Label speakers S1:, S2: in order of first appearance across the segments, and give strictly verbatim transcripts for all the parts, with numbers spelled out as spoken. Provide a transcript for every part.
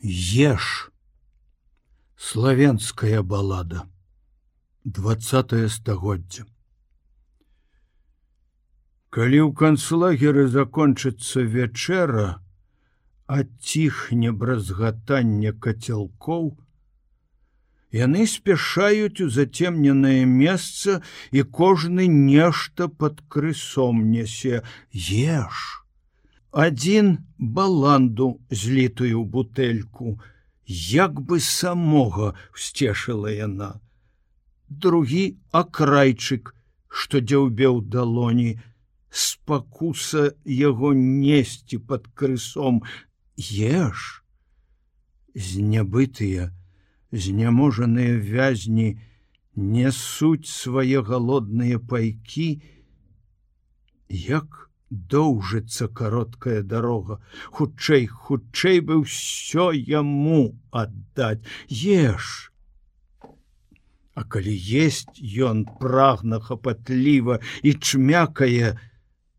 S1: Еш. Славянская балада. двадцатае стагоддзе. Калі ў канцлагеры закончыцца вячэра, аціхне бразгатанне кацялкоў, яны спяшаюць у зацемненае месца, і кожны нешта пад крысом нясе. Еш. Адзін баланду злітую бутэльку, як бы самога всцешыла яна. Другі акрайчык, што дзяўбеў далоні, спакуса яго несці пад крысом. Еш. Знябытыя, зняможаныя вязні нясуць свае галодныя пайкі, як доўжыцца кароткая дарога. Хутчэй, хутчэй бы ўсё яму аддаць. Еш. А калі есць ён прагна хапатліва і чмякае,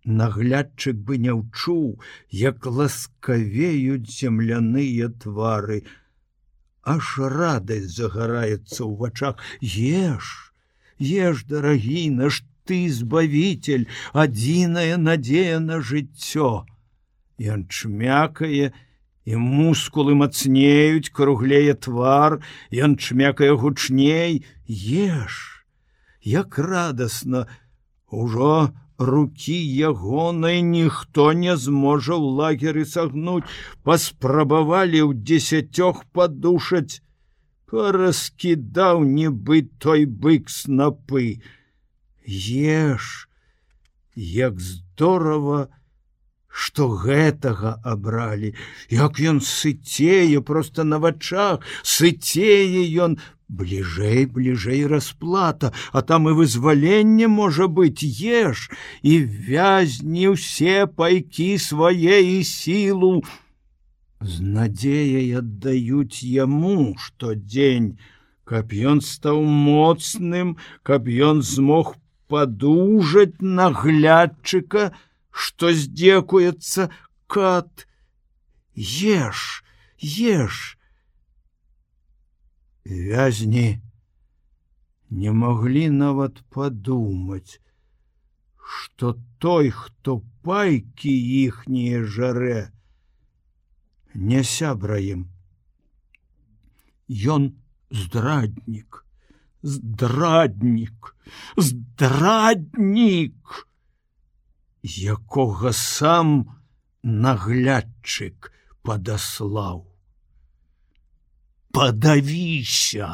S1: наглядчык бы не ўчуў, як ласкавеюць земляныя твары. Аж радасць загараецца ў вачах. Еш, еш, дарагі наш, ты збавитель, адзіная надзея на жыццё. Ён чмякае, і мускулы мацнеюць, круглее твар, ён чмякае гучней. Еш, як радасна, ужо рукі ягонай ніхто не зможа ў лагеры сагнуць. Паспрабавалі ў дзесяцёх падушаць, параскідаў нібы той бык снапы. Еш, як здорава, што гэтага абралі, як ён сыцее проста на вачах, сыцее ён. Бліжэй, бліжэй расплата, а там і вызваленне можа быць. Еш, і вязні ўсе пайкі свае і сілу з надзеяй аддаюць яму штодзень, каб ён стаў моцным, каб ён змог падужаць наглядчыка, што здзекуецца. Кат. Еш, еш. Вязні не маглі нават падумаць, што той, хто пайкі іхнія жарэ, не сябра ім. Ён здраднік, здраднік, здраднік, якога сам наглядчык падаслаў. Падавіся!